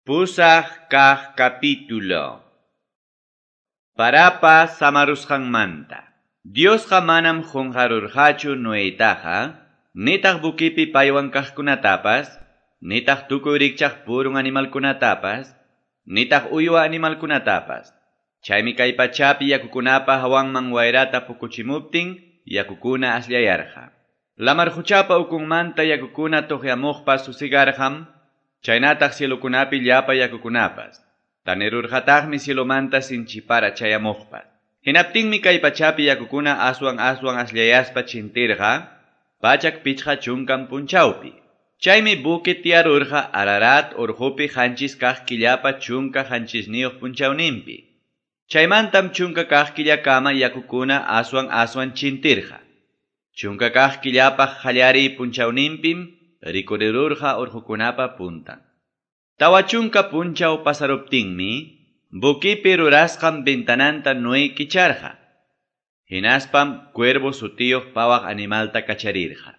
Pusaq kaq capítulo. Parapa samarusqanmanta. Diosqa manam qunqarurqachu Noetaqa, nitaq bukipi paywan kaqkunatapas, nitaq tukuy rikchaq purun animalkunatapas, nitaq uywa animalkunatapas. Chaymi kay pachapi yakukunapa hawanman wayrata pukuchimuptin, yakukuna asllayarqa. Lamar quchapa ukunmanta yakukuna tuqyamuqpas susigarqam, chaynataq cielokunapi llapa yakukunapas. Tanirurqataqmi cielomanta sinchipara chayamuqpas. Hinaptinmi kay pachapi yakukuna aswan aswan asllayaspa chintirqa, 150 punchawpi. Chaymi buque tiyarurqa Ararat urqupi 7 kaq killapa 17 punchawninpi. Chaymantam 10 kaq killakama yakukuna aswan aswan chintirqa. 10 kaq killapa qallariy punchawninpim rikurirurqa urqukunapa puntan. 40 punchaw pasaruptinmi, buquipi rurasqan ventananta Noé kicharqa. Hinaspam cuervo sutiyuq pawaq animalta kacharirqa.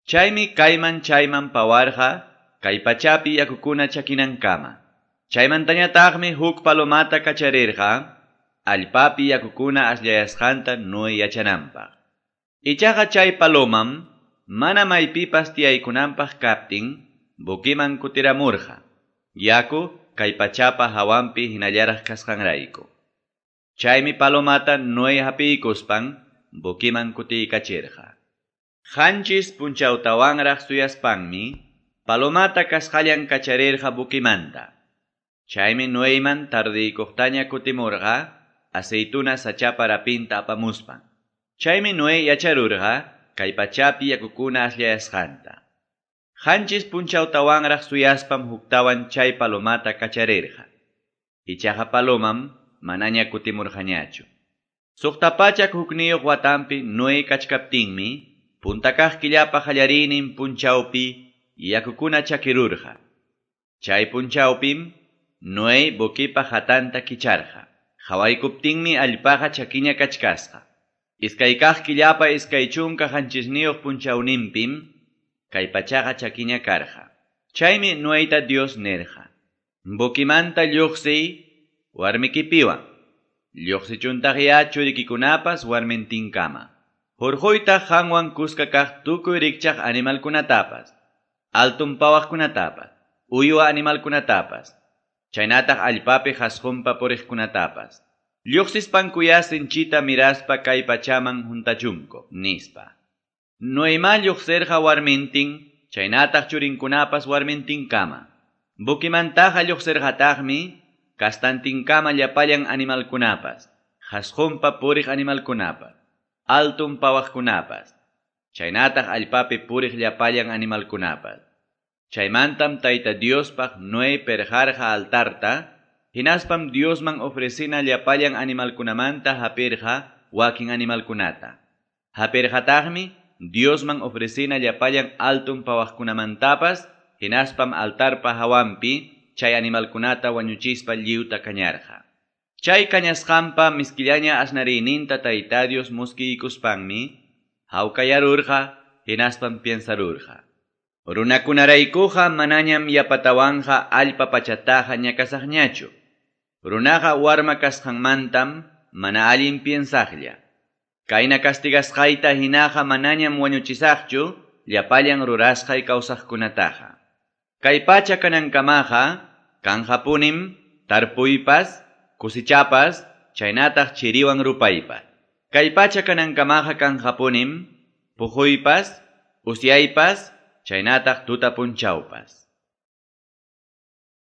Chaymi kayman chayman pawarqa, kay pachapi yakukuna chakinankama. Chaymantañataqmi huk palomata kacharirqa, allpapi yakukuna asllayasqanta Noé yachananpaq. Ichaqa chay palomam, mana maypipas tiyaykunanpaq kaptin, buquiman kutiramurqa. Yaku kay pachapa hawanpi hinallaraq kasqanrayku. Chaymi palomata Noé hapiykuspan buquiman kutiykachirqa. 7 punchawtawanraq suyaspanmi, palomata kasqallan kacharirqa buquimanta. Chaymi Noeyman tardiykuqtaña kutimurqa, aceituna sachapa rapinta apamuspan. Chaymi Noé yacharurqa, kay pachapi yakukuna asllayasqanta. 7 punchawtawanraq suyaspam huktawan chay palomata kacharirqa. Ichaqa palomam manaña kutimurqañachu. 601 watanpi Noé kachkaptinmi, punta kaq killapa qallariynin punchawpi yakukuna chakirurqa. Chay punchawpim Noé buquipa hatanta kicharqa. Qawaykuptinmi allpaqa chakiña kachkasqa. 2 kaq killapa 27 punchawninpim kay pachaqa chakiña karqa. Chaymi Noeta Dios nirqa: Buquimanta lluqsiy warmikipiwan. Lluqsichuntaqya churikikunapas warmintinkama. Hurquytaq qanwan kuska kaq tukuy rikchaq animalkunatapas, altun pawaqkunatapas, uywa animalkunatapas, chaynataq allpapi qasqunpa puriqkunatapas. Lluqsispankuya sinchita miraspa kay pachaman huntachunku, nispa. Noema lluqsirqa warmintin, chaynataq churinkunapas warmintinkama. Buquimantaqa lluqsirqataqmi, kastantinkama llapallan animalkunapas, qasqunpa puriq animalkunapas, altun pawaqkunapas, chaynataq allpapi puriq llapallan animalkunapas. Chaymantam Tayta Diospaq Noé perqarqa altarta, hinaspam Diosman ofrecina llapallan animalkunamanta hapirqa wakin animalkunata. Hapirqataqmi Diosman ofrecina llapallan altun pawaqkunamantapas, hinaspam altarpa hawanpi chay animalkunata wañuchispa lliwta kañarqa. Chay kañasqanpa miskillaña asnariyninta Tayta Dios muskiykuspanmi, hawkayarurqa, hinaspam piensarurqa. Runakunaraykuqa manañam yapatawanqa allpa pachataqa ñakasaqñachu. Runaqa warma kasqanmantam mana allin piensaqlla. Kayna castigasqayta hinaqa manañam wañuchisaqchu llapallan rurasqay kawsaqkunataqa. Kay pacha kanankamaqa kanqapunim tarpuypas, kusichapas, chaynataq chiriwan rupaypas. Kay pacha kanankamaqa kanqapunim puquypas, usyaypas, chaynataq tuta punchawpas.